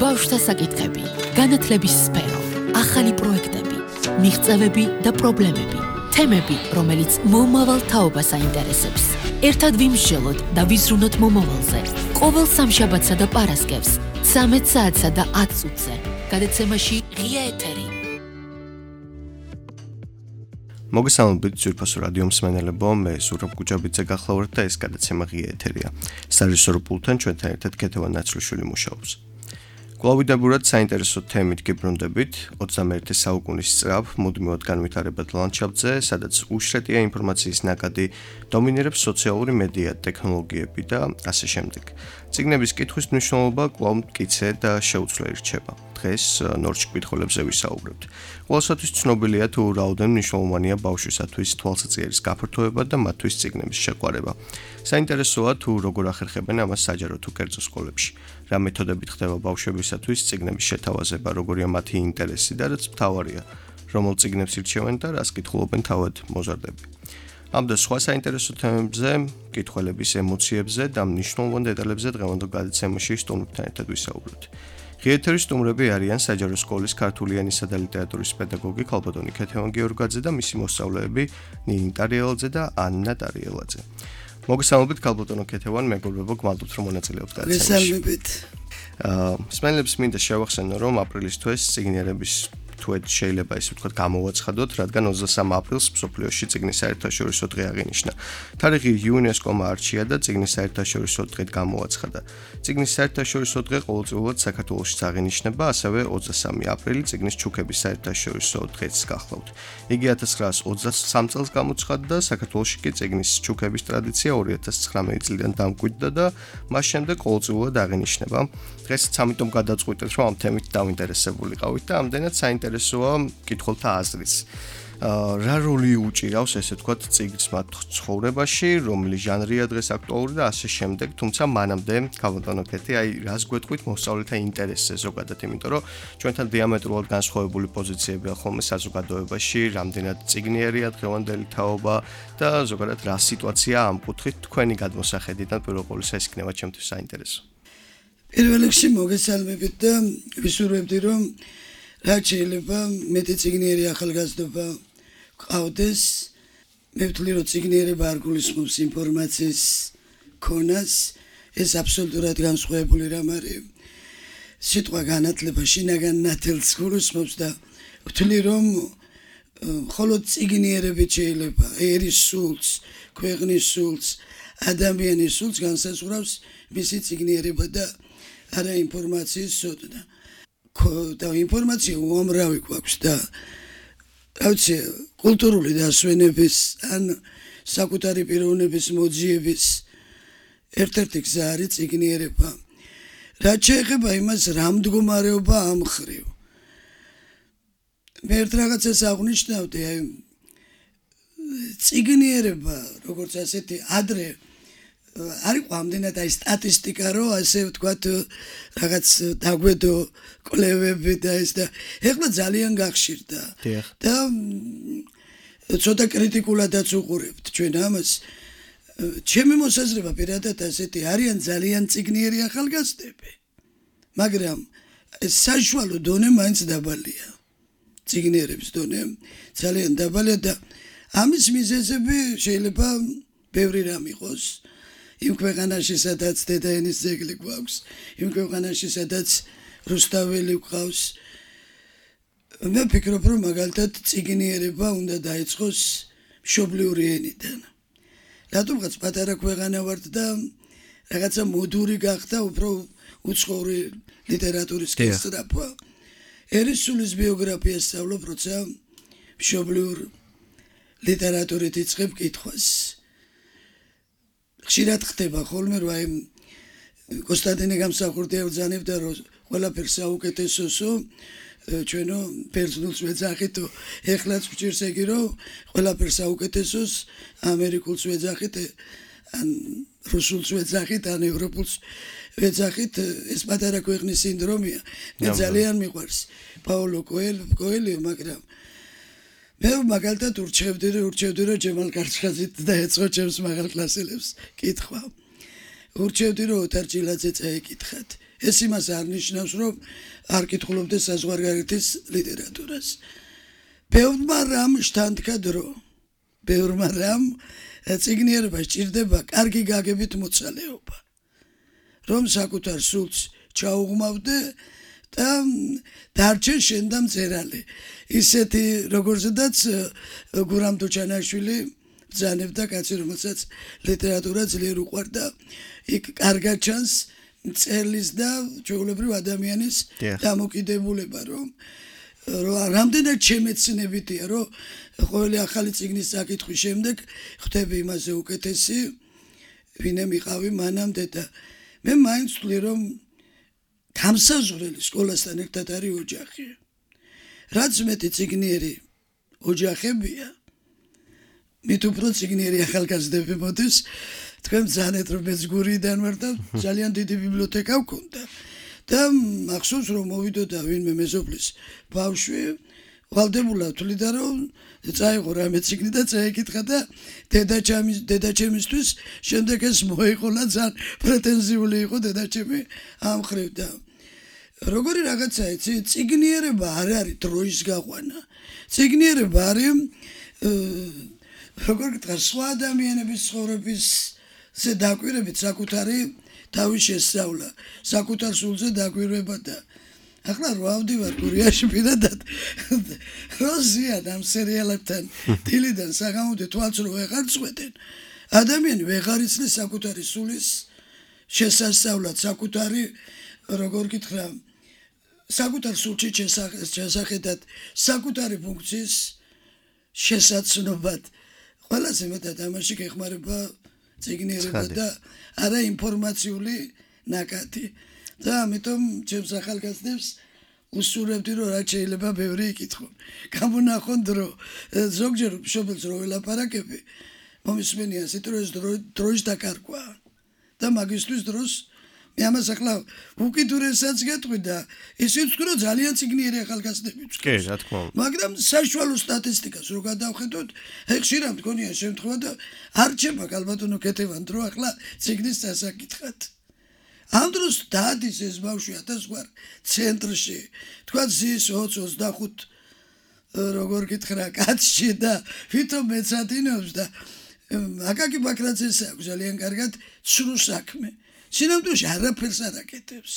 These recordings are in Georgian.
ბავშვთა საკითხები, განათლების სფერო, ახალი პროექტები, მიღწევები და პრობლემები, თემები, რომელიც მომავალ თაობას აინტერესებს. ერთად ვიმსჯელოთ და ვიზრუნოთ მომავალზე. ყოველ სამშაბათსა და პარასკევს, 13 საათსა და 10 წუთზე. გადაცემაში ღია ეთერი. მოგესალმებით ძვირფასო რადიო მსმენელებო, მე ზურაბ გუჯაბიძე გახლავართ და ეს გადაცემა ღია ეთერია. სარეჟისორო პულტთან ჩვენთან ერთად ქეთევან ნაცვლიშვილი მუშაობს. კვლავიდებურად საინტერესო თემით გიბრუნდებით 21 საუკუნის სწრაფ მუდმივად განვითარებად ლანდშაფტზე, სადაც უშრეტია ინფორმაციის ნაკადი, დომინირებს სოციალური მედია, ტექნოლოგიები და ასე შემდეგ. წიგნების კითხვის მნიშვნელობა კვლავ მტკიცე და შეუცვლელი რჩება. დღეს ნორჩ კითხულებზე ვისაუბრებთ. ყველასათვის ცნობილია თუ რაოდენ მნიშვნელოვანია ბავშვისათვის თვალსაჩინოს გაფართოება და მათთვის წიგნების შეყვარება. საინტერესოა თუ როგორ ახერხებენ ამას საჯარო თუ კერძო სკოლებში. რა მეთოდებით ხდება ბავშვებისათვის წიგნების შეთავაზება, როგორია მათი ინტერესი და რაც მთავარია, რომელ წიგნებს ირჩევენ და რას კითხულობენ თავად მოზარდები. ამ და სხვა საინტერესო თემებზე, კითხველების ემოციებზე და მნიშვნელოვან დეტალებზე დღევანდელ გადაცემაში სტუმრებთან ერთად ვისაუბრებთ. ღია ეთერის სტუმრები არიან საჯარო სკოლის ქართული ენისა და ლიტერატურის პედაგოგი ქალბატონი ქეთევან გიორგაძე და მისი მოსწავლეები ნინი ტარიელაძე და ანნა ტარიელაძე. მოგესალმებით ქალბატონო ქეთევან, მეგობრებო, გმადლობთ რომ მონაწილეობთ გადაცემაში. მოგესალმებით. მსმენელებს მინდა შევახსენო, რომ აპრილის თვეს წიგნიერების თვეთ შეიძლება ისე ვთქვათ გამოვაცხადოთ, რადგან 23 აპრილს მსოფლიოში წიგნის საერთაშორისო დღე აღინიშნა. თარიღი იუნესკომ არჩია და წიგნის საერთაშორისო დღედ გამოვაცხადა. წიგნის საერთაშორისო დღე ყოველწლიურად საქართველოში აღინიშნება, ასევე 23 აპრილი წიგნის ჩუქების საერთაშორისო დღეც გახლავთ. იგი 1923 წელს გამოცხადდა, საქართველოში კი წიგნის ჩუქების ტრადიცია 2019 წლიდან დამკვიდრდა და მას შემდეგ ყოველწლიურად აღინიშნება. დღესაც ამიტომ გადაწყვიტეთ, რომ ამ თემით დავინტერესებულიყავით და ამდენად საინტერესოა კითხულთა აზრიც. რა როლი უჭირავს, ესე ვთქვათ, წიგნს მათ ცხოვრებაში, რომელი ჟანრია დღეს აქტუალური და ასე შემდეგ, თუმცა მანამდე, ქალბატონო ქეთი, რას გვეტყვით მოსწავლეთა ინტერესზე ზოგადად, იმიტომ რომ ჩვენთან დიამეტრულად განსხვავებული პოზიციებია ხოლმე საზოგადოებაში, რამდენად წიგნიერია დღევანდელი თაობა და ზოგადად რა სიტუაცია ამ კუთხით თქვენი გადმოსახედიდან პირველ ყოვლისა ეს იქნება ჩემთვის საინტერესო. პირველ რიგში მოგესალმებით და ვისურვებდი, რომ რაც შეიძლება მეტი წიგნიერი ახალგაზრდობა გყავდეს. მე ვთვლი, რომ წიგნიერება არ გულისხმობს ინფორმაციის ქონას, ეს აბსოლუტურად განსხვავებული რამ არის. სიტყვა განათლება შინაგან ნათელს გულისხმობს და ვთვლი, რომ მხოლოდ წიგნიერებით შეიძლება ერის სულს, ქვეყნის სულს, ადამიანის სულს განსაზღვრავს მისი წიგნიერება და არა ინფორმაციის სოდნა. და ინფორმაცია უამრავი გვაქვს და რაღაცა კულტურული დასვენების ან საკუთარი პიროვნების მოძიების ერთ-ერთი გზა არის წიგნიერება. რაც შეეხება იმას, რა მდგომარეობა ამ ხრივ. მე ერთ რაღაცას აღნიშნავდი, წიგნიერება, როგორც ასეთი ადრე არ იყო ამდენად სტატისტიკა, რომ ასე ვთქვათ, რაღაც დაგვედო კვლევები და ეს და ეხლა ძალიან გახშირდა. და ცოტა კრიტიკულადაც უყურებთ ჩვენ ამას. ჩემი მოსაზრება პირადად ასეთი, არიან ძალიან წიგნიერი ახალგაზრდები, მაგრამ საშუალო დონე მაინც დაბალია. წიგნიერების დონე ძალიან დაბალია და ამის მიზეზები შეიძლება ბევრი რამ იყოს. იმ ქვეყანაში, სადაც დედაენის ძეგლი გვაქვს, იმ ქვეყანაში, სადაც რუსთაველი გვყავს. მე ვფიქრობ, რომ მაგალითად წიგნიერება უნდა დაიწყოს მშობლიური ენიდან. რატომღაც პატარა ქვეყანა ვართ და რაღაცა მოდური გახდა უფრო უცხოური ლიტერატურის გასწრაფვა. ერისულის ბიოგრაფიას სწავლობ, როცა მშობლიურ ლიტერატურით იწყებ კითხვას. ხშირად ხდება ხოლმე, რომ აი კონსტანტინე გამსახურდია ვძანებდა, რომ ყველაფერს საუკეთესოსო ჩვენო პერსონალს ვეძახითო, ეხლაც ვჭირს ეგი, რომ ყველაფერს საუკეთესოს ამერიკულს ვეძახით, ან რუსულს ვეძახით, ან ევროპულს ვეძახით, ეს პატარა ქვეყნის სინდრომია. მე ძალიან მიყვარს პაოლო კოელიო, მაგრამ მე მაგალითად ურჩევდი რომ ჯემალ კარჩხაზით დაეწყო ჩემს მაღალკლასელებს კითხვა. ურჩევდი რომ ოთარ ჭილაძე წაეკითხათ. ეს იმას არ ნიშნავს, რომ არ კითხულობდე საზღვარგარეთის ლიტერატურას. ბევრმა რამ შთანთქა დრო. ბევრმა რამ წიგნიერება სჭირდება კარგი გაგებით მოცალეობა. რომ საკუთარ სულს ჩაუღმავდე და დარჩენ შენ და მწერალი. ისეთი როგორზედაც გურამ თუჩანაშვილი ბრძანებდა კაცი, რომელსაც ლიტერატურა ძლიერ უყვარდა, იქ კარგად ჩანს მწერლის და ჩვეულებრივ ადამიანის დამოკიდებულება, რომ რამდენად შემეცნებითია, რომ ყოველი ახალი წიგნის საკითხვის შემდეგ ხვდები იმაზე უკეთესი, ვინმე მიყავი მანამდე და მე მაინც ვთვლი, რომ გამსაზღვრელი სკოლასთან ერთად არის ოჯახი. რაც მეტი წიგნიერი ოჯახებია, მით უფრო წიგნიერი ახალგაზრდები მოდის. თქვენ ბრძანეთ, რომ მეც გურიდან ვარ და ძალიან დიდი ბიბლიოთეკა ვქონდა. და მახსოვს, რომ მოვიდოდა ვინმე მეზობლის ბავშვი, ვალდებულად თვლიდა, რომ წაიღო რამე წიგნი და წაიკითხა და დედაჩემისთვის შემდეგ ეს მოეყოლა, ძალიან პრეტენზიული იყო დედაჩემი ამ მხრივ და როგორი რაღაცა იცი, წიგნიერება არ არის დროის გაყვანა. წიგნიერება არის როგორ გითხრა, სხვა ადამიანების ცხოვრებისზე დაკვირვებით საკუთარი თავის შესწავლა, საკუთარ სულზე დაკვირვება და ახლა რო ავდივარ გურიაში პირადად როზიან ამ სერიალებთან დილიდან საღამომდე თვალს რო ვეღარ წვეტენ, ადამიანი ვეღარ იცნის საკუთარი სულის შესასწავლად, საკუთარი როგორ გითხრა, საკუთარ სულში შესახედად, საკუთარი ფუნქციის შესაცნობად. ყველაზე მეტად ამაში გეხმარება წიგნიერება და არა ინფორმაციული ნაკადი. და ამიტომ ჩემს ახალგაზრდებს უსურვებდი, რომ რაც შეიძლება ბევრი იკითხონ. გამონახონ დრო. ზოგჯერ მშობელს რო ველაპარაკები, მომისმენია ისეთ რომ ეს დროის დაკარგვა. და მაგისტრის დროს მე ამას ახლა უკიდურესაც გეტყვი და ისიც ვთქვი, რომ ძალიან წიგნიერი ახალგაზრდები ვთქვი. კი, რა თქმა უნდა. მაგრამ საშუალო სტატისტიკას რო გადავხედოთ, ხშირად მგონია შემთხვევა და არ რჩება ალბათონო კეთებან დრო ახლა წიგნის დასაკითხად. ამ დროს დადის ეს ბავშვი 1000 გვარ ცენტრში, თქვა ზის 20-25 როგორ გითხრა კაცში და ვითომ მეცადინობს და აკაკი ბაქრაძეს აქვს ძალიან კარგად ცრუ საქმე. სინამდვილეში არაფერს არ აკეთებს.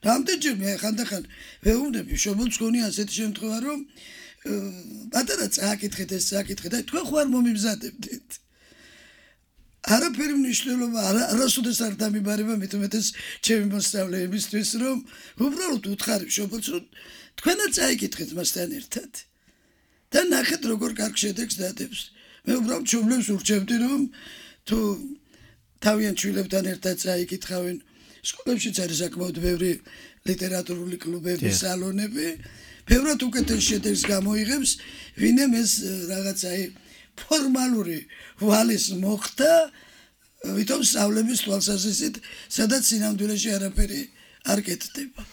რამდენჯერ მე ხანდახან ვეუბნები მშობელს, გონია ასეთი შემთხვევა, რომ პატარა წააკითხეთ ეს წააკითხეთ და თქვენ ხوار მომიმზადებდით. არაფერი მნიშვნელობა არასოდეს არ დამიბარება, მით უმეტეს ჩემი მოსწავლეებისთვის, რომ უბრალოდ უთხარი მშობელს, რომ თქვენაც წაიკითხეთ მასთან ერთად. და ნახეთ როგორ კარგ შედეგს დადებს. მე უბრალოდ მშობლებს ურჩევდი, რომ თუ თავიანთ შვილებთან ერთად წაიკითხავენ, სკოლებშიც არის საკმაოდ ბევრი ლიტერატურული კლუბები, სალონები, ბევრად უკეთეს შედეგს გამოიღებს, ვინმე ეს რაღაცა ფორმალური ვალის მოხდა, ვითომ სწავლების თვალსაზრისით, სადაც სინამდვილეში არაფერი არ კეთდება.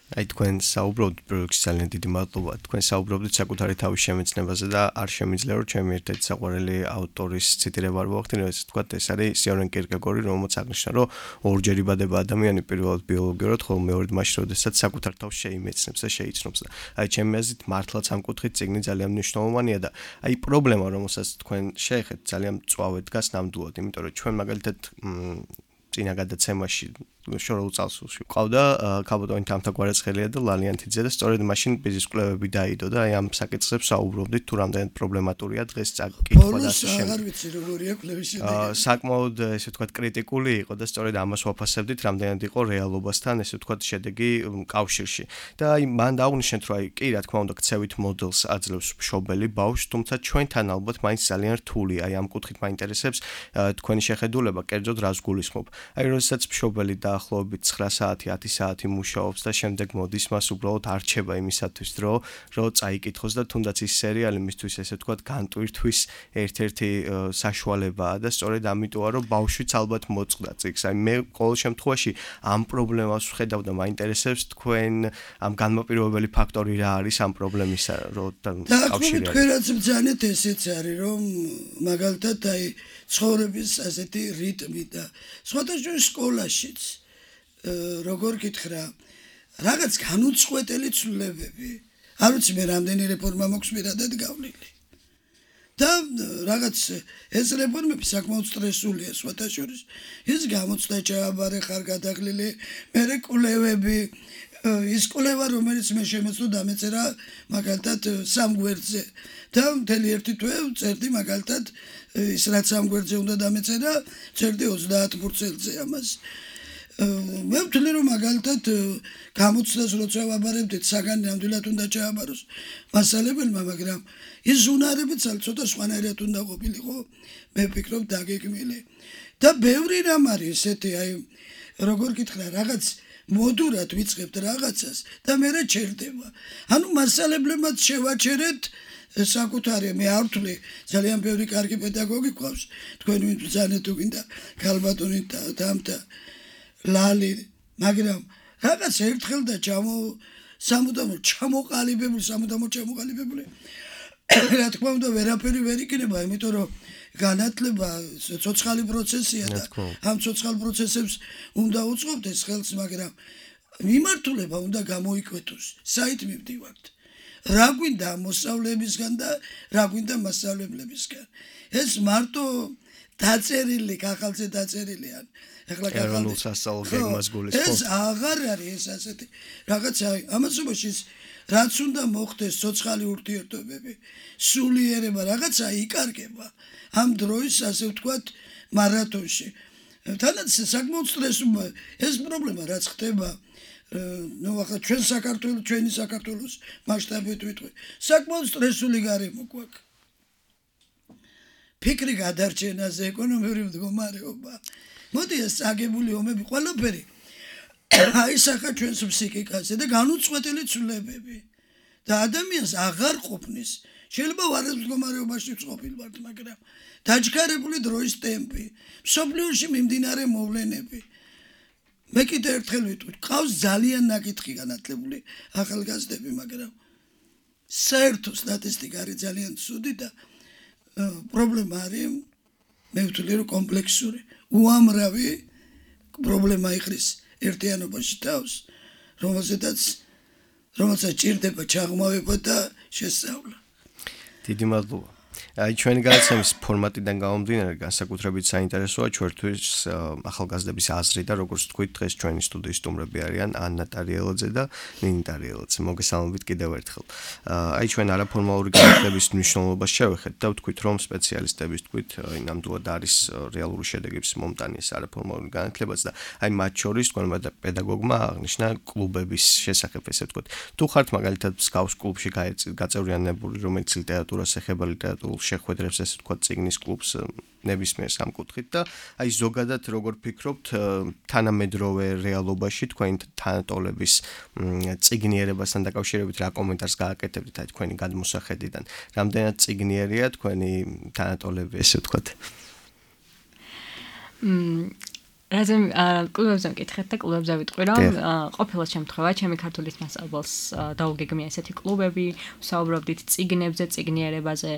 აი თქვენ საუბრობთ პროექტში ძალიან დიდი მადლობა. თქვენ საუბრობთ საკუთარი თავის შემეცნებაზე და არ შემიძლია რომ ჩემი ერთ-ერთი საყვარელი ავტორის ციტირება არ მოვახდინო, ეს თქვა ეს არის სიორენ კიერკეგორი, რომელიც აღნიშნა, რომ ორჯერ იბადება ადამიანი პირველად ბიოლოგიურად, ხოლო მეორედ მაშინ, როდესაც საკუთარ თავს შეიმეცნებს და შეიცნობს და აი ჩემი აზრით მართლაც ამ კუთხით წიგნი ძალიან მნიშვნელოვანია და აი პრობლემა, რომელსაც თქვენ შეეხეთ, ძალიან მწვავედ დგას ნამდვილად, იმიტომ რომ ჩვენ მაგალითად წინა გადაცემაში შორეულ წელს ვყავდა ქალბატონი თამთა გვარაცხელია და ლალიანთიძე და სწორედ მაშინ ბიზნეს კვლევები დაიდო და აი ამ საკითხებს საუბრობდით თუ რამდენად პრობლემატურია დღეს წაკითხვა და ასე აღარ ვიცი როგორია კვლევის შედეგი. საკმაოდ ესე ვთქვათ კრიტიკული იყო და სწორედ ამას ვაფასებდით რამდენად იყო რეალობასთან ესე ვთქვათ შედეგი კავშირში. და აი მან დაუნიშნეთ რომ აი კი რა თქმა უნდა ქცევით მოდელს აძლევს მშობელი ბავშვს, თუმცა ჩვენთან ალბათ მაინც ძალიან რთული. აი ამ კუთხით მაინტერესებს თქვენი შეხედულება, კერძოდ რას გულისხმობ. აი როდესაც მშობელი და ახლობით 9 საათი, 10 საათი მუშაობს და შემდეგ მოდის მას უბრალოდ არჩება იმისათვის რომ წაიკითხოს და თუნდაც ის სერიალი მისთვის ესე ვთქვათ განტვირთვის ერთ-ერთი საშუალებაა და სწორედ ამიტოა რომ ბავშვიც ალბათ მოწყდა წიგს. აი მე ყოველ შემთხვევაში ამ პრობლემას ვხედავ და მაინტერესებს თქვენ ამ განმაპირობებელი ფაქტორი რა არის ამ პრობლემის კავშირი. და თქვენ რაც ბრძანეთ ესეც არის რომ მაგალითად აი ცხოვრების ასეთი რიტმი და სხვადასხვა სკოლაშიც როგორ გითხრა რაღაც განუწყვეტელი ცვლილებები არ ვიცი მე რამდენი რეფორმა მოქვს პირადად გავლილი და რაღაც ეს რეფორმები საკმაოდ სტრესულია სხვათა შორის ის გამოცდა ჩააბარე ხარ გადაღლილი მე კვლევები ის კვლევა რომელიც მე შემეცნო დამეწერა მაგალითად სამ გვერდზე და მთელი ერთი თვე წერდი მაგალითად ის რაც სამ გვერდზე უნდა დამეწერა წერდი 30%-ზე ამას მე ვთვლი რომ მაგალითად გამოცდას როცა ვაბარებდით საგანი ნამდვილად უნდა ჩააბაროს მასალებელმა მაგრამ ის ზუნარებიც ცოტა სხვანაირად უნდა ყოფილიყო მე ვფიქრობ დაგეგმილი და ბევრი რამ არის ესეთი აი როგორ გითხრა რაღაც მოდურად ვიწყებთ რაღაცას და მე რა ჩერდება ანუ მასალებლებმაც შევაჩერეთ საკუთარი მე არ ვთვლი ძალიან ბევრი კარგი პედაგოგი გვყავს თქვენ ვინ ბრძანეთ თუ გინდა ქალბატონი და ლალი მაგრამ რაღაც ერთხელ და სამუდამოდ ჩამოყალიბებული რა თქმა უნდა ვერაფერი ვერ იქნება იმიტომ რომ განათლება ცოცხალი პროცესია და ამ ცოცხალ პროცესებს უნდა უწყობდეს ხელს მაგრამ მიმართულება უნდა გამოიკვეთოს საით მივდივართ რა გვინდა მოსწავლეებისგან და რა გვინდა მასწავლებლებისგან ეს მარტო დაწერილი ხალხზე დაწერილი ან ეხლა ეროვნულ სასწავლო გეგმას გულისხმობს ეს აღარ არის ეს ასეთი რაღაცა ამასობაში რაც უნდა მოხდეს ცოცხალი ურთიერთობები სულიერება რაღაცა იკარგება ამ დროის ასე ვთქვათ მარათონში თანაც საკმაოდ სტრესული ეს პრობლემა რაც ხდება ნუ ახლა ჩვენი საქართველოს მასშტაბით ვიტყვი საკმაოდ სტრესული გარემო გვაქვს ფიქრი გადარჩენაზე ეკონომიური მდგომარეობა მოდი ეს წაგებული ომები ყველაფერი აისახა ჩვენს ფსიქიკაზე და განუწყვეტელი ცვლილებები და ადამიანს აღარ ყოფნის შეიძლება ვარეს მდგომარეობაში ვწყობილვართ მაგრამ დაჯგარებული დროის ტემპი მსოფლიოში მიმდინარე მოვლენები მე კიდე ერთხელ ვიტყვი ყავს ძალიან ნაკითხი განათლებული ახალგაზრდები მაგრამ საერთო სტატისტიკა არის ძალიან ცუდი და პრობლემა არის მე ვთვლი რომ კომპლექსური უამრავი პრობლემა იხრის ერთიანობაში თავს რომელსაც ჭირდება ჩაღმავება და შესწავლა დიდი მადლობა აი ჩვენი გადაცემის ფორმატიდან გამომდინარე განსაკუთრებით საინტერესოა ჩვენთვის ახალგაზრდების აზრი და როგორც თქვით დღეს ჩვენი სტუდიის სტუმრები არიან ანა ტარიელაძე და ნინი ტარიელაძე მოგესალმებით კიდევ ერთხელ აი ჩვენ არაფორმალური განათლების მნიშვნელობას შევეხეთ და ვთქვით რომ სპეციალისტების თქვით ნამდვილად არის რეალური შედეგების მომტანი ეს არაფორმალური განათლებაც და აი მათ შორის თქვენმა პედაგოგმა აღნიშნა კლუბების შესახებ ესე ვთქვით თუ ხართ მაგალითად მსგავს კლუბში გაწევრიანებული რომელიც ლიტერატურას ეხება ლიტერატურულ შეხვედრებს ესე ვთქვათ წიგნის კლუბს ნებისმიერ სამკუთხედით და აი ზოგადად როგორ ფიქრობთ თანამედროვე რეალობაში თქვენი თანატოლების წიგნიერებასთან დაკავშირებით რა კომენტარს გააკეთებთ აი თქვენი გადმოსახედიდან რამდენად წიგნიერია თქვენი თანატოლები ესე ვთქვათ რაზემ კლუბებზე მკითხეთ და კლუბებზე ვიტყვი რომ ყოფილა შემთხვევა ჩემი ქართულის მასწავლებელს დაუგეგმია ესეთი კლუბები ვსაუბრობდით წიგნებზე წიგნიერებაზე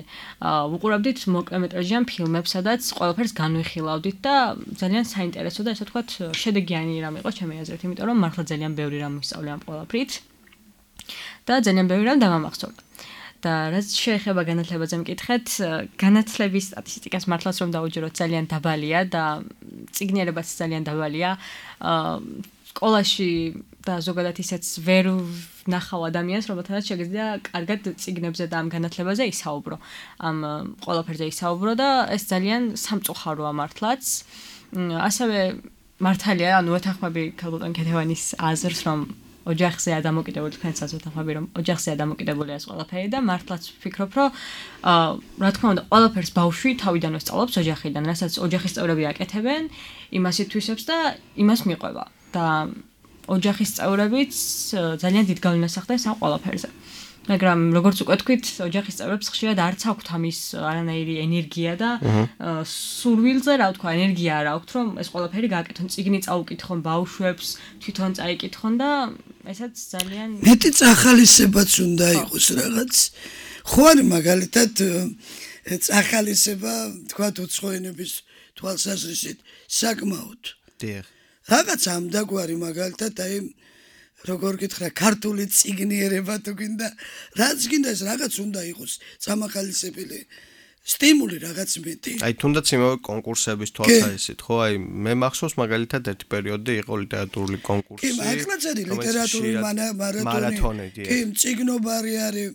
ვუყურებდით მოკლემეტრაჟიან ფილმებს სადაც ყველაფერს განვიხილავდით და ძალიან საინტერესო და ესე ვთქვათ შედეგიანი რამ იყო ჩემი აზრით იმიტომ რომ მართლა ძალიან ბევრი რამ ვისწავლე ამ ყველაფრით და ძალიან ბევრი რამ დამამახსოვრდა და რაც შეეხება განათლებაზე მკითხეთ, განათლების სტატისტიკას მართლაც რომ დაუჯეროთ ძალიან დაბალია და წიგნიერებაც ძალიან დაბალია. სკოლაში და ზოგადად ისეც ვერ ნახავ ადამიანს, რომელთანაც შეგიძლია კარგად წიგნებზე და ამ განათლებაზე ისაუბრო. ამ ყველაფერზე ისაუბრო და ეს ძალიან სამწუხაროა მართლაც. ასევე მართალია, ანუ ვეთანხმები ქალბატონ ქეთევანის აზრს, რომ ოჯახზეა დამოკიდებული თქვენსაც ვეთანხმები რომ ოჯახზეა დამოკიდებული ეს ყველაფერი და მართლაც ვფიქრობ რომ რა თქმა უნდა ყველაფერს ბავშვი თავიდანვე სწავლობს ოჯახიდან რასაც ოჯახის წევრები აკეთებენ იმას ითვისებს და იმას მიყვება და ოჯახის წევრებიც ძალიან დიდ გავლენას ახდენს ამ ყველაფერზე მაგრამ როგორც უკვე თქვით ოჯახის წევრებს ხშირად არც აქვთ ამის არანაირი ენერგია და სურვილზე რა ვთქვა ენერგია არ აქვთ რომ ეს ყველაფერი გააკეთონ წიგნი წაუკითხონ ბავშვებს თვითონ წაიკითხონ და ესაც ძალიან მეტი წახალისებაც უნდა იყოს რაღაც ხო არის მაგალითად წახალისება თქვა უცხო ენების თვალსაზრისით საკმაოდ რაღაც ამდაგვარი მაგალითად აი როგორ გითხრა ქართული წიგნიერება თუ გინდა რაც გინდა ეს რაღაც უნდა იყოს სამახალისებელი სტიმული რაღაც მეტი. აი თუნდაც იმავე კონკურსების თვალსაჩინო ხო აი მე მახსოვს მაგალითად ერთი პერიოდი იყო ლიტერატურული კონკურსი. კი, ახლა წელი ლიტერატურული მარათონი. კი, წიგნობარი არის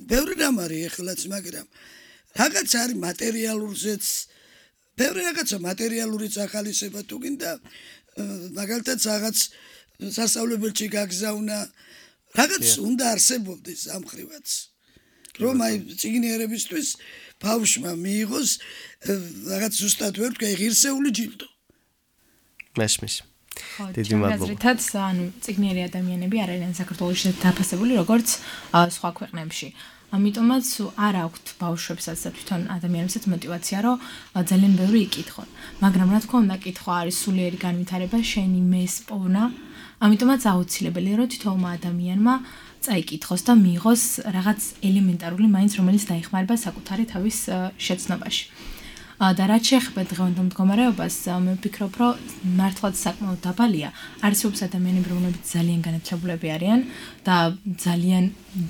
ბევრი რამ არის ეხლაც, მაგრამ რაღაც არის მატერიალურზეც ბევრი რაღაცა მატერიალურიც ახალისება თუ გინდა მაგალითად რაღაც სასწავლებელში გაგზავნა რაღაც უნდა არსებობდეს ამხრივაც. რომ აი წიგნიერებისთვის ბავშვმა მიიღოს რაღაც ზუსტად ვერ თქვა ღირსეული ჯილდო. მესმის. დიდი მადლობა. ანუ წიგნიერი ადამიანები არ არიან საქართველოში დაფასებული როგორც სხვა ქვეყნებში. ამიტომაც არ აქვთ ბავშვებსაც და თვითონ ადამიანებსაც мотиваცია რომ ძალიან ბევრი იკითხონ. მაგრამ რა თქმა უნდა, კითხვა არის სულიერი განვითარება, შენი მეს პოვნა. ამიტომაც აუცილებელია რომ თითოეულმა ადამიანმა წაიკითხოს და მიიღოს რაღაც ელემენტარული მაინც რომელიც დაიხმარება საკუთარი თავის შეცნობაში. და რაც შეეხება დღევანდელ მდგომარეობას, მე ვფიქრობ, რომ მართლაც საკმაოდ დაბალია. არსებობს ადამიანები, რომლებიც ძალიან განათლებულები არიან და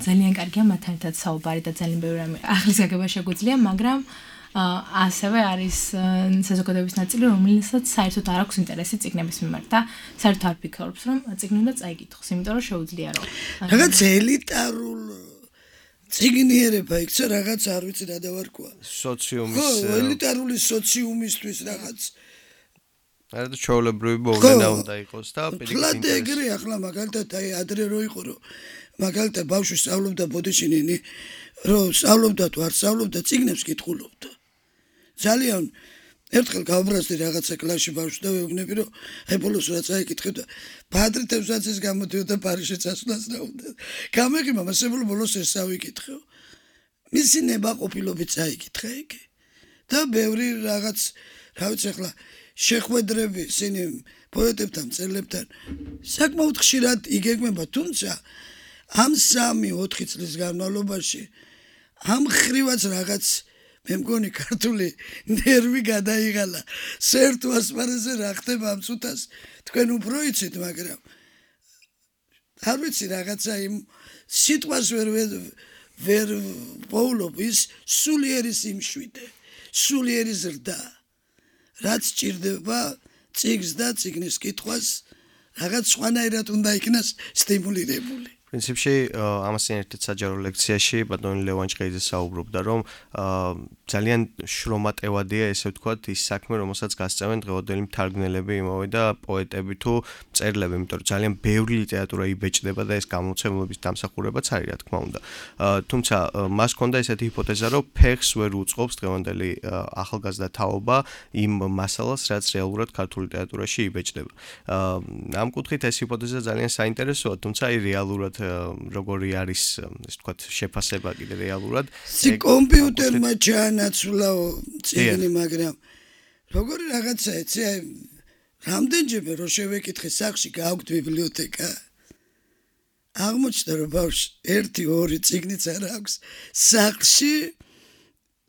ძალიან კარგია მათთან ერთად საუბარი და ძალიან ბევრი რამე ახლის გაგება შეგვიძლია, მაგრამ ასევე არის საზოგადოების ნაწილი, რომელსაც საერთოდ არ აქვს ინტერესი წიგნების მიმართ და საერთოდ არ ფიქრობს, რომ წიგნი უნდა წაიკითხოს, იმიტომ რომ შეუძლია რომ რაღაც ელიტარულ წიგნიერება იქცა რაღაც არ ვიცი რა დავარქვა. სოციუმის ელიტარული სოციუმისთვის რაღაც არა ჩაოლებრივი მოვლენა უნდა იყოს და პირიქით ეგრე ახლა მაგალითად აი ადრე რო იყო რომ მაგალითად ბავშვი სწავლობდა ბოდიშინინი რომ სწავლობდა თუ არ სწავლობდა წიგნებს კითხულობდა. ძალიან ერთხელ გავბრაზდი რაღაცა კლასში ბავშვს და ვეუბნები რომ აი ბოლოს რა წაიკითხე და ბადრითებსაც ის გამოდიოდა პარიზში წასვლას რა უნდა. გამეღიმა მასებული ბოლოს ეს ავიკითხეო. მისი ნებაყოფილობით წაიკითხე იგი. და ბევრი რაღაც რა ვიცი ახლა შეხვედრები ისინი პოეტებთან, მწერლებთან საკმაოდ ხშირად იგეგმება, თუმცა ამ 3-4 წლის განმავლობაში ამ ხრივაც რაღაც მე მგონი ქართული ნერვი გადაიღალა. საერთო ასპარეზზე რა ხდება ამ წუთას თქვენ უფრო იცით, მაგრამ არ ვიცი რაღაცა იმ სიტყვას ვერ პოულობ ის სულიერი სიმშვიდე, სულიერი ზრდა. რაც ჭირდება წიგნს და წიგნის კითხვას რაღაც სხვანაირად უნდა იქნას სტიმულირებული. პრინციპში ამასთან ერთად საჯარო ლექციაში ბატონი ლევან ჭყეიძე საუბრობდა, რომ ძალიან შრომატევადია ესე ვთქვათ ის საქმე, რომელსაც გასწევენ დღევანდელი მთარგმნელები იმავე და პოეტები თუ მწერლები, იმიტომ რომ ძალიან ბევრი ლიტერატურა იბეჭდება და ეს გამოცემლობის დამსახურებაც არის, რა თქმა უნდა. თუმცა მას ჰქონდა ესეთი ჰიპოთეზა, რომ ფეხს ვერ უწყობს დღევანდელი ახალგაზრდა თაობა იმ მასალას, რაც რეალურად ქართულ ლიტერატურაში იბეჭდება. ამ კუთხით ეს ჰიპოთეზა ძალიან საინტერესოა, თუმცა აი რეალურად როგორი არის ეს ვთქვათ შეფასება კიდე რეალურად კომპიუტერმა ჩაანაცვლაო წიგნი, მაგრამ როგორი რაღაცა ეცი აი რამდენჯერმე რო შევეკითხე სახში გააქვთ ბიბლიოთეკა აღმოჩნდა რომ ბავშვს 1-2 წიგნიც არ აქვს სახში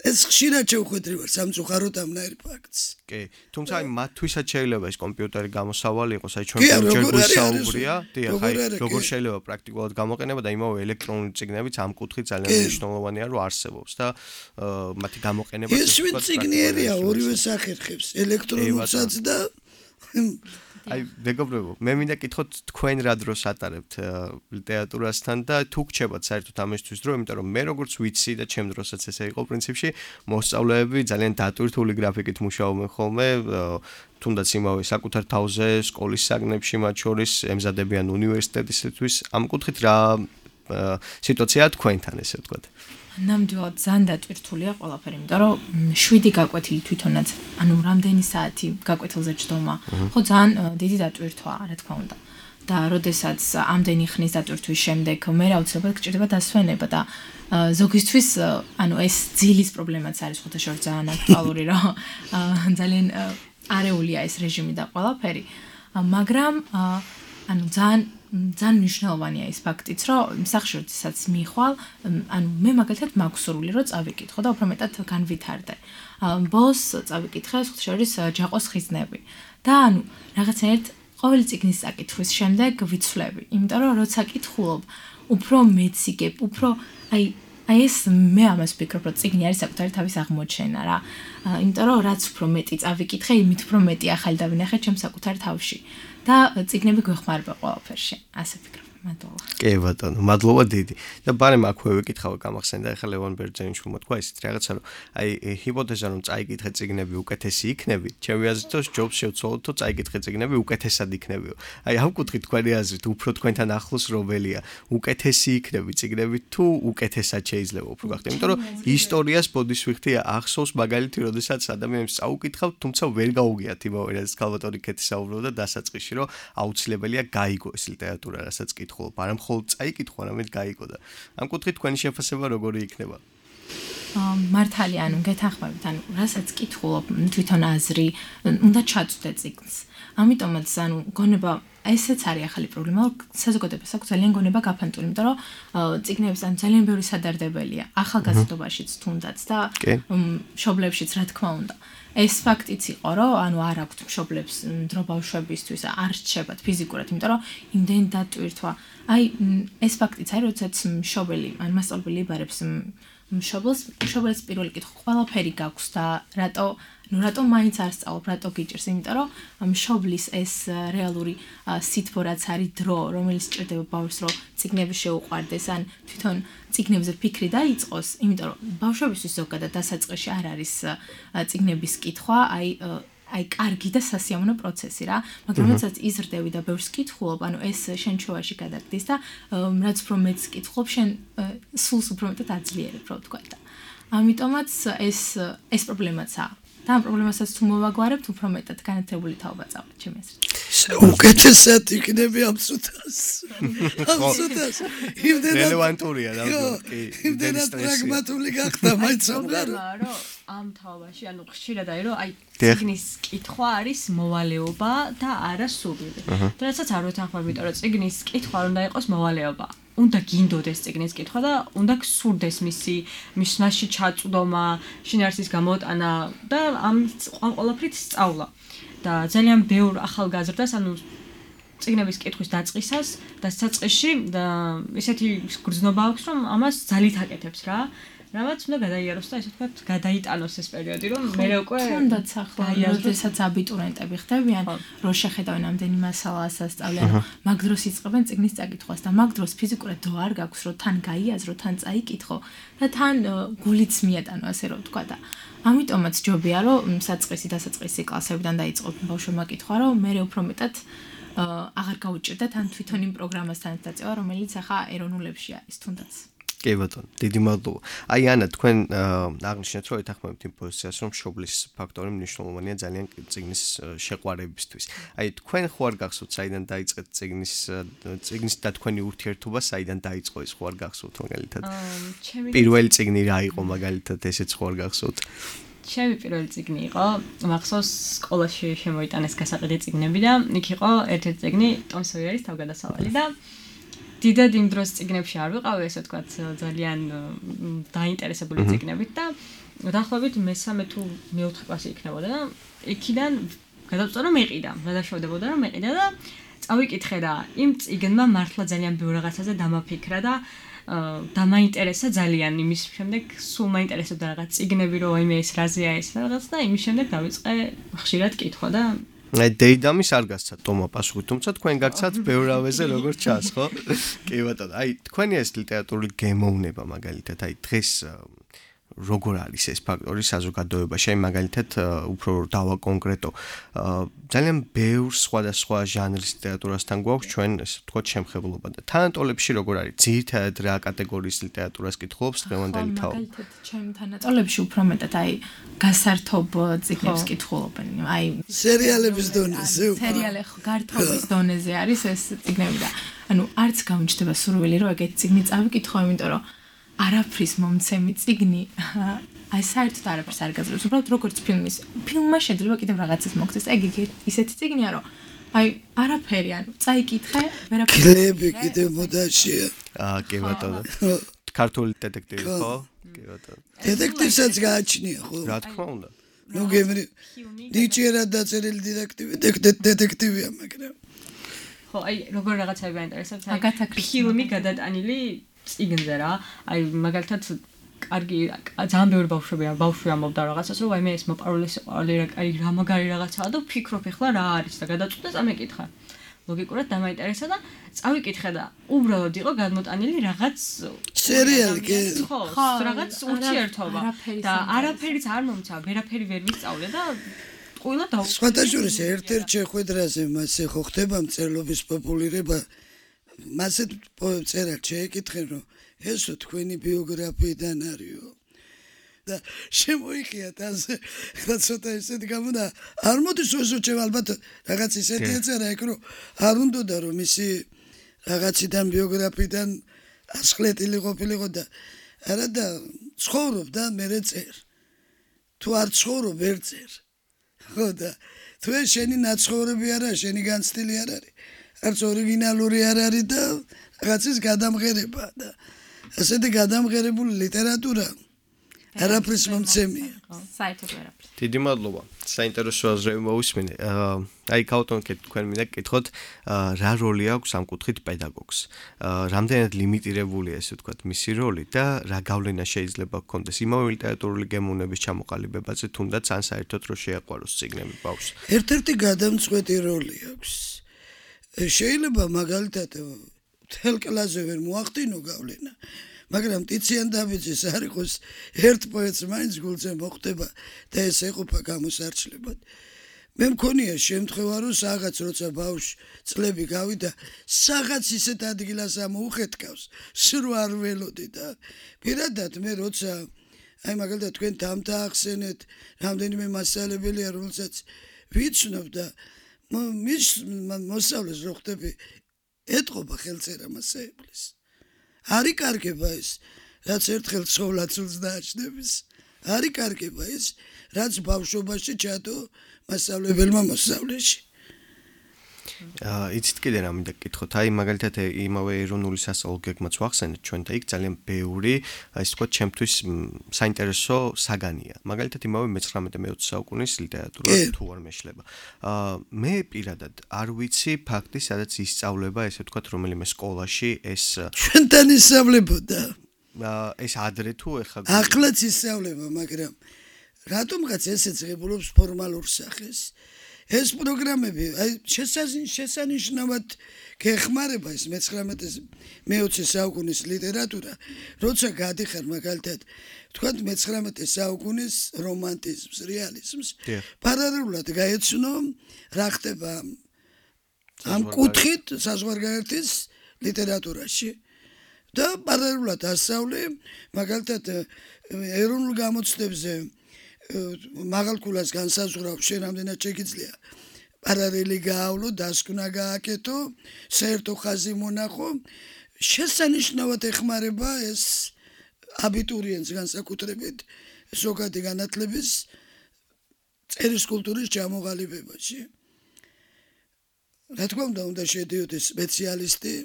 ეს ხშირად შევხვედრი ვარ სამწუხაროდ ამნაირ ფაქტს. კი, თუმცა აი მათთვისაც შეიძლება ეს კომპიუტერი გამოსავალი იყოს, აი ჩვენ ჯერ გვისაუბრია, დიახ, აი როგორ შეიძლება პრაქტიკულად გამოყენება და იმავე ელექტრონული წიგნებიც ამ კუთხით ძალიან მნიშვნელოვანია რომ არსებობს და მათი გამოყენება ეს წიგნიერია ორივე სახერხებს, ელექტრონულსაც და აი მეგობრებო, მე მინდა კითხოთ თქვენ რა დროს ატარებთ ლიტერატურასთან და თუ გრჩებათ საერთოდ ამისთვის დრო, იმიტომ რომ მე როგორც ვიცი და ჩემ დროსაც ესე იყო პრინციპში, მოსწავლეები ძალიან დატვირთული გრაფიკით მუშაობენ ხოლმე, თუნდაც იმავე საკუთარ თავზე სკოლის საგნებში მათ შორის ემზადებიან უნივერსიტეტისთვის, ამ კუთხით რა სიტუაციაა თქვენთან ესე ვთქვათ. ნამდვილად ძალიან დატვირთულია ყველაფერი, იმიტომ რომ 7 გაკვეთილი თვითონაც, ანუ რამდენი საათი გაკვეთილზე ჯდომა, ხო ძალიან დიდი დატვირთვაა, რა თქმა უნდა. და როდესაც ამდენი ხნის დატვირთვის შემდეგ მე აუცილებლად გჭირდება დასვენება და ზოგისთვის, ანუ ეს ძილის პრობლემაც არის ხოთაშორ ძალიან აქტუალური, რომ ძალიან არეულია ეს რეჟიმი და ყველაფერი, მაგრამ ანუ ძალიან მნიშვნელოვანია ის ფაქტიც, რომ სახშიროდესაც მიხვალ, ანუ მე მაგალითად მაქვს სურვილი, რომ წავიკითხო და უფრო მეტად განვითარდე. ბოლოს წავიკითხე შორის ჯაყოს ხიზნები და ანუ რაღაცნაირად ყოველი წიგნის საკითხვის შემდეგ ვიცვლები, იმიტომ რომ როცა კითხულობ, უფრო მეციგებ, უფრო აი ეს მე ამას ვფიქრობ, რომ წიგნი არის საკუთარი თავის აღმოჩენა რა. იმიტომ რომ რაც უფრო მეტი წავიკითხე, იმით უფრო მეტი ახალი დავინახე ჩემს საკუთარ თავში და წიგნები გვეხმარება ყველაფერში. ასე ვფიქრობ. მადლობა. კი ბატონო, მადლობა დიდი. და ბარემ აქვე ვიკითხავ გამახსენდა ახლა ლევან ბერძენიშვილმა თქვა ისიც რაღაცა რომ აი ჰიპოთეზა რომ წაიკითხე წიგნები უკეთესი იქნები, ჩემი აზრით ჯობს შევცვალოთ თუ წაიკითხე წიგნები უკეთესად იქნებიო. აი ამ კუთხით თქვენი აზრით უფრო თქვენთან ახლოს რომელია, უკეთესი იქნები წიგნები თუ უკეთესად შეიძლება უფრო გახდე, იმიტომ რომ ისტორიას ბოდისვიხთი ახსოვს მაგალითი, როდესაც ადამიანს წაუკითხავ, თუმცა ვერ გაუგიათ იმავე რაც ქალბატონი ქეთი საუბრობდა დასაწყისში, რომ აუცილებელია გაიგო ეს ლიტერატურა, რასაც კითხულობ, არა მხოლოდ წაიკითხო, არამედ გაიგო და ამ კუთხით თქვენი შეფასება როგორი იქნება? მართალია, ანუ გეთანხმებით, ანუ რასაც კითხულობ, თვითონ აზრი, უნდა ჩაწვდე წიგნს. ამიტომაც, ანუ გონება ესეც არის ახალი პრობლემა, რომ საზოგადოებას აქვს ძალიან გონება გაფანტული, იმიტომ რომ წიგნების ან ძალიან ბევრი სადარდებელია, ახალგაზრდობაშიც თუნდაც და მშობლებშიც რა თქმა უნდა. ეს ფაქტიც იყო, რომ ანუ არ აქვთ მშობლებს დრო ბავშვებისთვის არ რჩებათ ფიზიკურად, იმიტომ რომ იმდენ დატვირთვა. აი ეს ფაქტიც არის, როდესაც მშობელი ან მასწავლებელი იბარებს მშობელს პირველი კითხვა, ყველაფერი გაქვს და რატო მაინც არ სწავლობ, რატო გიჭირს, იმიტომ რომ მშობლის ეს რეალური სითბო რაც არის დრო, რომელიც ჭირდება ბავშვს, რომ წიგნები შეუყვარდეს, ან თვითონ წიგნებზე ფიქრი დაიწყოს, იმიტომ რომ ბავშვებისთვის ზოგადად დასაწყისში არ არის წიგნების კითხვა, აი კარგი და სასიამოვნო პროცესი რა, მაგრამ როდესაც იზრდები და ბევრს კითხულობ, ანუ ეს შენ ჩვევაში გადაგდის და რაც უფრო მეც კითხულობ, შენ სულს უფრო მეტად აძლიერებ, რო ვთქვა და ამიტომაც ეს პრობლემაცაა. და ამ პრობლემასაც თუ მოვაგვარებთ, უფრო მეტად განათლებული თაობა წავით, ჩემი აზრით. უკეთესად იქნები ამ სუთას. ამ სუთას. რელევანტურია და კი. იმდენად პრაგმატული გახდა მაინც სამყარო. რომ ამ თაობაში, ანუ ხშირად არის, რომ აი წიგნის კითხვა არის მოვალეობა და არა სურვილი. და რასაც არ ვეთანხმები, იმიტომ რომ წიგნის კითხვა უნდა იყოს მოვალეობა. უნდა გინდოდეს წიგნის კითხვა და უნდა გსურდეს მასში ჩაწვდომა, შინაარსის გამოტანა და ამ ყველაფრით სწავლა. და ძალიან ბევრ ახალგაზრდას, ანუ წიგნების კითხვის დაწყისას და საწყისში და ესეთი გრძნობა აქვს, რომ ამას ძალით აკეთებს რა. რამაც უნდა გადაიაროს და ესე ვთქვათ, გადაიტანოს ეს პერიოდი, რომ მე უკვე თუნდაც ახლა როდესაც აბიტურიენტები ხდებიან, რომ შეხედავენ ამდენი მასალას ასწავლიან, მაგ დროს იწყებენ წიგნის წაკითხვას და მაგ დროს ფიზიკურად დრო არ გაქვს, რომ თან გაიაზრო, თან წაიკითხო და თან გულიც მიატანო, ასე რომ ვთქვა და ამიტომაც ჯობია, რომ საწყისი დასაწყისი კლასებიდან დაიწყო ბავშვებმა კითხვა, რომ მე უფრო მეტად აღარ გაუჭირდეთ ან თვითონ იმ პროგრამასთან დაწევა, რომელიც ახლა ეროვნულებში არის თუნდაც. კი ბატონო, დიდი მადლობა. აი ანა, თქვენ აღნიშნეთ, რომ ეთანხმებით იმ პოზიციას, რომ მშობლის ფაქტორი მნიშვნელოვანია ძალიან წიგნის შეყვარებისთვის. აი თქვენ ხო არ გახსოვთ, საიდან დაიწყეთ წიგნის და თქვენი ურთიერთობა საიდან დაიწყო ეს ხო არ გახსოვთ მაგალითად? პირველი წიგნი რა იყო მაგალითად, ესეც ხო არ გახსოვთ? ჩემი პირველი წიგნი იყო, მახსოვს სკოლაში შემოიტანეს გასაყიდი წიგნები და იქ იყო ერთ-ერთი წიგნი ტომ სოიერის თავგადასავალი და დიდად იმ დროს წიგნებში არ ვიყავი, ესე ვთქვათ, ძალიან დაინტერესებული წიგნებით და დაახლოებით მე-3 თუ მე-4 კლასი იქნებოდა და იქიდან გადავწყვიტე რომ მეყიდა, გადაშავდებოდა რომ მეყიდა და წავიკითხე და იმ წიგნმა მართლა ძალიან ბევრ რაღაცაზე დამაფიქრა და დამაინტერესა ძალიან იმის შემდეგ სულ მაინტერესებდა რაღაც წიგნები რომ აიმე ეს რაზეა ეს რაღაც და იმის შემდეგ დავიწყე ხშირად კითხვა და აი დეიდამის არ გასცათ თომა პასუხი, თუმცა თქვენ გაგცათ ბევრავეზე როგორც ჩანს, ხო? კი ბატონო, აი თქვენი ეს ლიტერატურული გემოვნება მაგალითად, აი დღეს როგორ არის ეს ფაქტორი საზოგადოებაში, აი მაგალითად უფრო დავაკონკრეტო, ძალიან ბევრ სხვადასხვა ჟანრის ლიტერატურასთან გვაქვს ჩვენ, ესე ვთქვათ, შემხებლობა და თანატოლებში როგორ არის? ძირითადად რა კატეგორიის ლიტერატურას კითხულობს დღევანდელი თაობა? მაგალითად, ჩემ თანატოლებში უფრო მეტად აი გასართობ წიგნებს კითხულობენ, აი სერიალების დონეზე. სერიალი გართობის დონეზე არის ეს წიგნები და ანუ არც გამიჩნდება სურვილი რომ ეგეთი წიგნი წავიკითხო, იმიტომ რომ არაფრის მომცემი წიგნი აი საერთოდ არაფერს არ გაძლევს, უბრალოდ როგორც ფილმმა შეიძლება კიდევ რაღაცას მოგცეს. ეგ ისეთი წიგნია, რომ აი არაფერი, ანუ წაიკითხე, ვერაფერი. კლები კიდევ მოდაშია. კი ბატონო. ქართული დეტექტივი ხო? კი ბატონო. დეტექტივსაც გააჩნია ხო? რა თქმა უნდა. ნუ გემრი ნიჭიერად დაწერილი დეტექტივია, მაგრამ ხო, აი როგორ რაღაცები გაინტერესებს, აი ფილმი გადატანილი წიგნზე რა, აი მაგალითად კარგი ძალიან ბევრი ბავშვი ამბობდა რაღაცას, რომ აი მე ეს მოპარული სიყვარული აი რა მაგარი რაღაცაა და ვფიქრობ ახლა რა არის და გადაწყვეტე წამეკითხა. ლოგიკურად დამაინტერესა და წავიკითხე და უბრალოდ იყო გადმოტანილი რაღაც სერიალი კი ხო, რაღაც ურთიერთობა და არაფერიც არ მომცა, ვერაფერი ვერ ვისწავლე და ყველა დაუწყო. სხვათაშორის ერთ-ერთ შეხვედრაზე მასე ხო ხდება მწერლობის პოპულირება. მასეთ წერალ შეეკითხენ რომ ესო თქვენი ბიოგრაფიიდან არისო და შემოიხიათ ასე და ცოტა ისეთ გამოდა არ მოდის ოსო ჩემ ალბათ რაღაც ისეთი ეწერა ეგ რომ არ უნდოდა რომ ისი რაღაციდან ბიოგრაფიიდან ასხლეტილი ყოფილიყო და არა და ცხოვრობ და მე წერ თუ არ ცხოვრობ ვერ წერ ხო და თუ შენი ნაცხოვრები არა შენი განცდილი არ არის არც ორიგინალური არ არის და რაღაცის გადამღერება და ასეთი გადამღერებული ლიტერატურა არაფრის მომცემია. საერთოდ არაფრის. დიდი მადლობა. საინტერესო აზრები მოვისმინე. აი ქაუტონკე თქვენ მინდა გკითხოთ, რა როლი აქვს ამ კუთხით პედაგოგს? რამდენად ლიმიტირებულია ესე ვთქვათ მისი როლი და რა გავლენა შეიძლება ჰქონდეს იმავე ლიტერატურული გემოვნების ჩამოყალიბებაზე, თუნდაც ან საერთოდ რო შეაყვაროს წიგნები ბავშვს? ერთ-ერთი გადამწყვეტი როლი აქვს. შეიძლება მაგალითად თელ კლასზე ვერ მოახდინო გავლენა, მაგრამ ტიციან დავიძის არ იყოს ერთ პოეტს მაინც გულზე მოხდება და ეს ეყოფა გამოსარჩლებად. მე მქონია შემთხვევა რომ რაღაც როცა ბავშვი წლები გავიდა რაღაც ისეთ ადგილას ამოუხეთკავს სრო არ ველოდი და პირადად მე როცა აი მაგალითად თქვენ დამთახსენეთ რამდენიმე მასალებელია რომელსაც ვიცნობ და მის მოსავლეს რო ხდები ეთყობა ხელწერა მასაებლის არი კარგება ის რაც ერთხელ ცხოვლაცულს დააჩნდების არი კარგება ის რაც ბავშვობაში ჩადო მასწავლებელმა მოსავლეში იცით კიდე რა მინდა გკითხოთ აი მაგალითად იმავე ეროვნული სასწავლო გეგმაც ვახსენეთ ჩვენ და იქ ძალიან ბევრი აი თქვა ჩემთვის საინტერესო საგანია მაგალითად იმავე მე-19-20 საუკუნის ლიტერატურა თუ არ მეშლება მე პირადად არ ვიცი ფაქტი სადაც ისწავლება ესე ვთქვათ რომელიმე სკოლაში ეს ჩვენთან ისწავლებოდა ეს ადრე თუ ახლაც ისწავლება მაგრამ რატომღაც ესეც ღებულობს ფორმალურ სახეს ეს პროგრამები აი შესანიშნავად გეხმარება ეს მე-19 საუკუნის ლიტერატურა როცა გადიხარ მაგალითად ვთქვათ მე-19 საუკუნის რომანტიზმს რეალიზმს პარალელურად გაეცნო რა ხდება ამ კუთხით საზღვარგარეთის ლიტერატურაში და პარალელურად ასწავლე მაგალითად ეროვნულ გამოცდებზე მაღალკულას განსაზღვრავ შენ რამდენად შეგიძლია პარალელი გაავლო დასკვნა გააკეთო საერთო ხაზი მონახო შესანიშნავად ეხმარება ეს აბიტურიენტს განსაკუთრებით ზოგადი განათლების წერის კულტურის ჩამოყალიბებაში რა თქმა უნდა შედიოდეს სპეციალისტი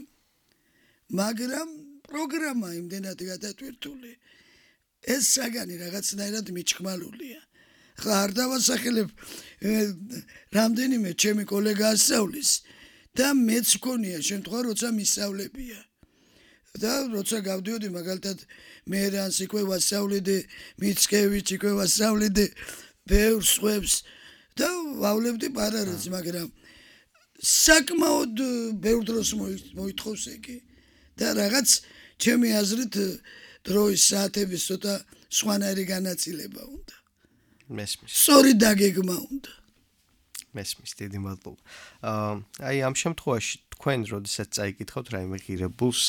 მაგრამ პროგრამა იმდენად გადატვირთული ეს საგანი რაღაცნაირად მიჩქმალულია. ხა არ დავასახელებ რამდენიმე ჩემი კოლეგა ასწავლის და მეც მქონია შემთხვევა როცა მისწავლებია. და როცა გავდიოდი მაგალითად მერანს იქვე ვასწავლედი, მიცკევიჩ იქვე ვასწავლედი, ბევრ სხვებს და ვავლებდი პარალელს, მაგრამ საკმაოდ ბევრ დროს მოითხოვს იგი და რაღაც ჩემი აზრით დროის საათების ცოტა სხვანაირი განაწილება უნდა. მესმის. სწორი დაგეგმა უნდა. მესმის, დიდი მადლობა. აი ამ შემთხვევაში თქვენ როდესაც წაიკითხავთ რაიმე ღირებულს,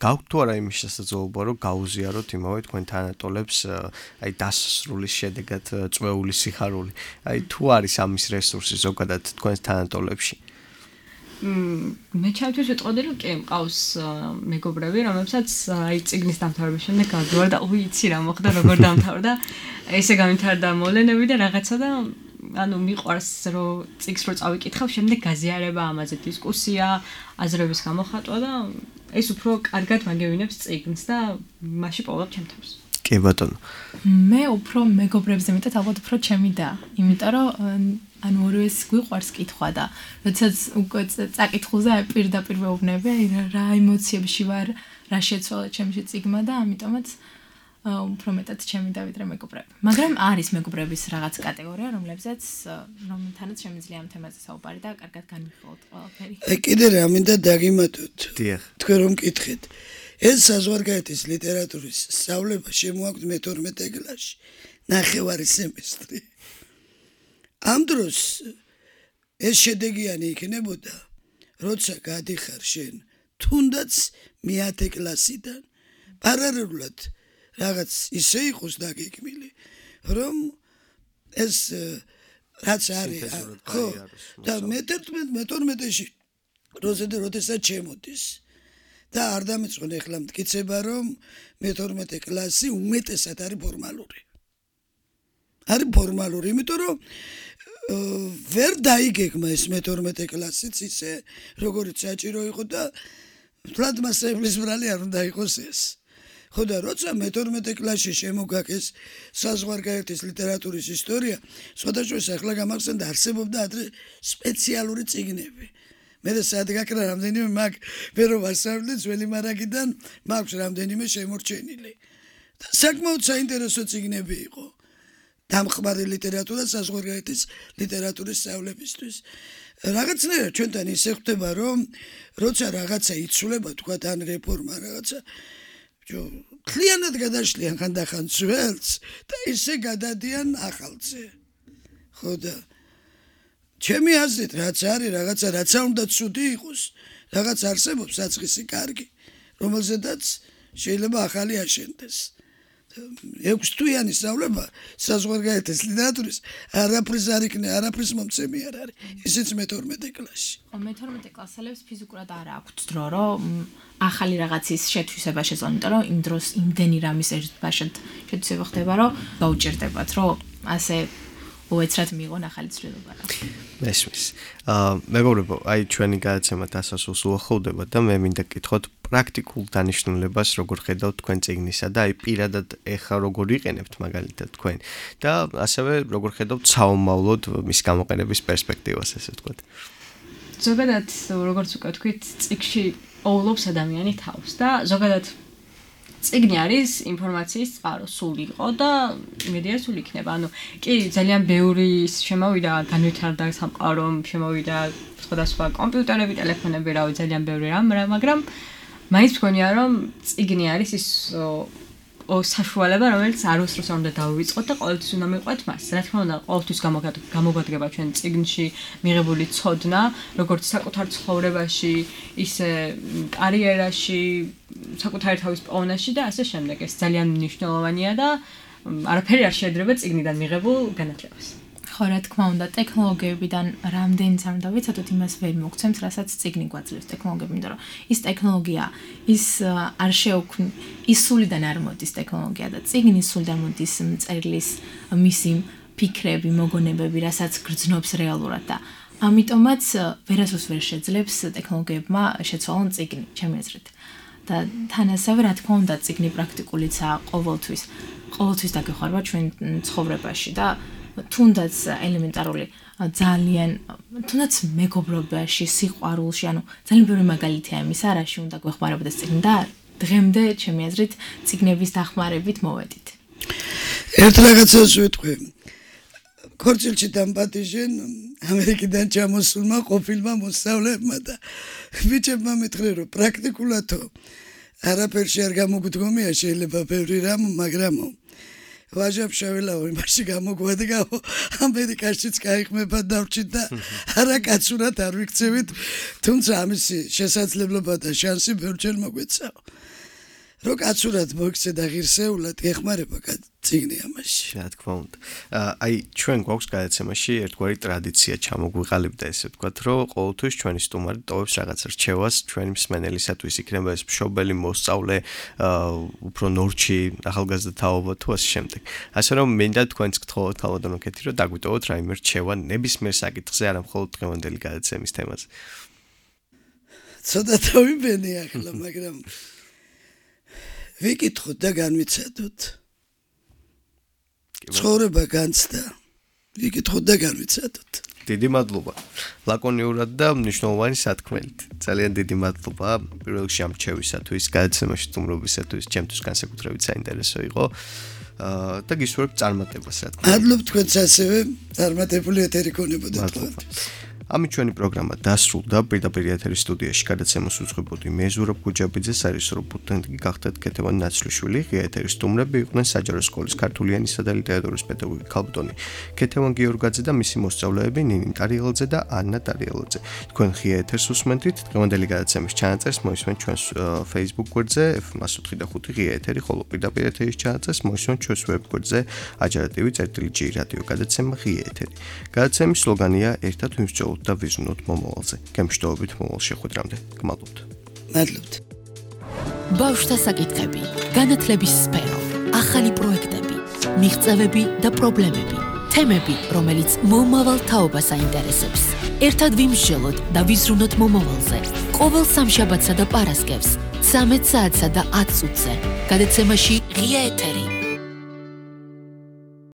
გაქვთ თუ არა იმის შესაძლებლობა, რომ გაუზიაროთ იმავე თქვენ თანატოლებს, აი დასასრულის შედეგად წვეული სიხარული. აი თუ არის ამის რესურსი ზოგადად თქვენს თანატოლებში? მე ჩემთვის ვიტყოდი რომ კი მყავს მეგობრები რომლებსაც აი წიგნის დამთავრების შემდეგ გავდივარ და უიცი რა მოხდა როგორ დამთავრდა ესე გამითარდა მოვლენები და რაღაცა და ანუ მიყვარს რომ წიგნს რო წავიკითხავ, შემდეგ გაზიარება ამაზე დისკუსია, აზრების გამოხატვა და ეს უფრო კარგად მაგევინებს წიგნს და მასში პოვლობ ჩემ თავს. კი ბატონო. მე უფრო მეგობრებზე მეტად ალბათ უფრო ჩემი და, იმიტომ რომ ანუ ორივეს გვიყვარს კითხვა და როდესაც უკვე წაკითხულზე პირდაპირ ვეუბნები, რა ემოციებში ვარ, რა შეცვალა ჩემში წიგნმა და ამიტომაც უფრო მეტად ჩემი და ვიდრე მეგობრები. მაგრამ არის მეგობრების რაღაც კატეგორია, რომელთანაც შემიძლია ამ თემაზე საუბარი და კარგად განვიხილოთ ყველაფერი. კიდე რა მინდა დაგიმატოთ. დიახ. თქვენ რომ მკითხეთ. ეს საზღვარგარეთის ლიტერატურის სწავლება შემოაქვთ მე-12 კლასში, ნახევარი სემესტრი. ამ დროს ეს შედეგიანი იქნებოდა, როცა გადიხარ შენ თუნდაც მე-10 კლასიდან პარალელურად რაღაც ისე იყოს დაგეგმილი, რომ ეს რაც არის, ხო, და მე-12-ში როდესაც შემოდის და არ დამეწყვენ ახლა მტკიცება, რომ მე-12 კლასი უმეტესად არის ფორმალური. არის ფორმალური, იმიტომ რომ ვერ დაიგეგმა ეს მე-12 კლასიც ისე, როგორიც საჭირო იყო და თლად მასწავლებლის ბრალი არ უნდა იყოს ეს. ხო და როცა მე-12 კლასში შემოგაქეს საზღვარგარეთის ლიტერატურის ისტორია, სხვადასხვა ახლა გამახსენდა არსებობდა ადრე სპეციალური წიგნები. მე და სადგაკრა რამდენიმე მაგ ვერო ვასწავლე ძველი მარაგიდან მაქვს რამდენიმე შემორჩენილი. და საკმაოდ საინტერესო წიგნები იყო. დამხმარე ლიტერატურა საზღვარგარეთის ლიტერატურის სწავლებისთვის. რაღაცნაირად ჩვენთან ისე ხდება, რომ როცა რაღაცა იცვლება, თქვა ან რეფორმა რაღაცა ქლიანად გადაშლიან ხანდახან ძველს და ისე გადადიან ახალზე. ხო და ჩემი აზრით რაც არის რაღაცა რაცა უნდა ცუდი იყოს, რაღაც არსებობს საწყისი კარგი, რომელზედაც შეიძლება ახალი აშენდეს. 6 თვიანი სწავლება საზღვარგარეთის ლიტერატურის არაფრის მომცემი არ არის. ისიც მე-12 კლასში. მე-12 კლასელებს ფიზიკურად არ აქვთ დრო, რომ ახალი რაღაცის შეთვისება შეძლონ, იმიტომ რომ იმ დროს იმდენი რამის ერთბაშად შეთვისება ხდება, რომ გაუჭირდებათ, რომ ასე უეცრად მიიღონ ახალი ცვლილება. მესმის. მეგობრებო, აი ჩვენი გადაცემა დასასრულს უახლოვდება და მე მინდა გკითხოთ პრაქტიკულ დანიშნულებას როგორ ხედავთ თქვენ წიგნისა და აი პირადად ეხა როგორ იყენებთ მაგალითად თქვენ და ასევე როგორ ხედავთ საომავლოდ მის გამოყენების პერსპექტივას ესე ვთქვათ. ზოგადად როგორც უკვე თქვით, წიგნში პოულობს ადამიანი თავს და ზოგადად წიგნი არის ინფორმაციის წყარო, სული იყო და იმედია სული იქნება. ანუ კი ძალიან ბევრი შემოვიდა განვითარდა სამყარო, შემოვიდა სხვადასხვა კომპიუტერები, ტელეფონები, რავი, ძალიან ბევრი რამ, მაგრამ მაინც მგონია რომ წიგნი არის ის საშუალება, რომელიც არ უსწროს არ უნდა დავივიწყოთ და ყოველთვის უნდა მიყვეთ მას. რა თქმა უნდა, ყოველთვის გამოგვადგება ჩვენ წიგნში მიღებული ცოდნა, როგორც საკუთარ ცხოვრებაში, ისე კარიერაში, საკუთარი თავის პოვნაში და ასე შემდეგ. ეს ძალიან მნიშვნელოვანია და არაფერი არ შეედრება წიგნიდან მიღებულ განათლებას. ხო, რა თქმა უნდა, ტექნოლოგიებიდან რამდენიც არ უნდა ვიცოდოთ, იმას ვერ მოგცემს, რასაც წიგნი გვაძლევს ტექნოლოგიები, იმიტომ რომ ის ტექნოლოგია, ის არ შეუქმნი, ის სულიდან არ მოდის ტექნოლოგია და წიგნი სულიდან მოდის მწერლის მისი ფიქრები, მოგონებები, რასაც გრძნობს რეალურად და ამიტომაც ვერასდროს ვერ შეძლებს ტექნოლოგიებმა შეცვალონ წიგნი, ჩემი აზრით. და თან ასევე რა თქმა უნდა, წიგნი პრაქტიკულიცაა ყოველთვის დაგეხმარება ჩვენ ცხოვრებაში და თუნდაც ელემენტარული ძალიან თუნდაც მეგობრობაში, სიყვარულში, ანუ ძალიან ბევრი მაგალითია იმისა, რაში უნდა გვეხმარებოდეს წიგნი და დღემდე ჩემი აზრით წიგნების დახმარებით მოვედით. ერთ რაღაცას ვიტყვი. ქორწილში დამპატიჟენ ამერიკიდან ჩამოსულმა ყოფილმა მოსწავლეებმა და ბიჭებმა მითხრე, რომ პრაქტიკულადო არაფერში არ გამოგვდგომია შეიძლება ბევრი რამ, მაგრამ ვაჟაფშაველაო იმაში გამოგვადგაო ამერიკაშიც გაიხმება დავრჩით და არა კაცურად არ ვიქცევით, თუმცა ამისი შესაძლებლობა და შანსი ბევრჯერ მოგვეცაო. რო კაცურად მოიქცე და ღირსეულად ეხმარება წიგნი ამაში. რა თქმა უნდა. აი ჩვენ გვაქვს გადაცემაში ერთგვარი ტრადიცია ჩამოგვიყალიბდა ესე ვთქვათ, რომ ყოველთვის ჩვენი სტუმარი ტოვებს რაღაც რჩევას ჩვენი მსმენელისათვის, იქნება ეს მშობელი, მოსწავლე, უფრო ნორჩი, ახალგაზრდა თაობა თუ ასე შემდეგ. ასე რომ მინდა თქვენც გთხოვოთ ქალბატონო კეთი, რომ დაგვიტოვოთ რაიმე რჩევა ნებისმიერ საკითხზე, არა მხოლოდ დღევანდელი გადაცემის თემაზე. ცოტა თავიბენი ახლა, მაგრამ ვიკითხოთ და განვიცადოთ. ცხოვრება განცდა. ვიკითხოთ და განვიცადოთ. დიდი მადლობა. ლაკონიურად და მნიშვნელოვანი სათქმელით. ძალიან დიდი მადლობა პირველ რიგში ამ რჩევისათვის, გადაცემაში სტუმრობისათვის, ჩემთვის განსაკუთრებით საინტერესო იყო. და გისურვებ წარმატებას, რა თქმა უნდა. მადლობ თქვენც ასევე, წარმატებული ეთერი გქონებოდეთ თქვენ. ამით ჩვენი პროგრამა დასრულდა. პირდაპირ ეთერის სტუდიაში გადაცემას უძღვებოდი მე ზურაბ გუჯაბიძე, სარისორო პუტენტი გახდათ კეთევან ნაცვლიშვილი. ღია ეთერის სტუმრები იყვნენ საჯარო სკოლის ქართული ენისა და ლიტერატურის პედაგოგი ქალბატონი კეთევან გიორგაძე და მისი მოსწავლეები ნინი ტარიელაძე და ანნა ტარიელაძე. თქვენ ღია ეთერს უსმენთ. დღევანდელი გადაცემის ჩანაწერს მოისმენთ ჩვენს Facebook გვერდზე f105 ღია ეთერი, ხოლო პირდაპირ ეთერის ჩანაწერს მოისმენთ ჩვენს ვებ გვერდზე ajarativi.j რადიო გადაცემა ღია ეთერი. გადაცემის სლოგანია ერთად ვიმსჯელოთ და ვიზრუნოთ მომავალზე. გემშვიდობით მომავალ შეხვედრამდე. გმადლობთ. მადლობთ. ბავშვთა საკითხები, განათლების სფერო, ახალი პროექტები, მიღწევები და პრობლემები, თემები, რომელიც მომავალ თაობას აინტერესებს. ერთად ვიმსჯელოთ და ვიზრუნოთ მომავალზე. ყოველ სამშაბათსა და პარასკევს 13 საათსა და 10 წუთზე. გადაცემაში ღია ეთერი.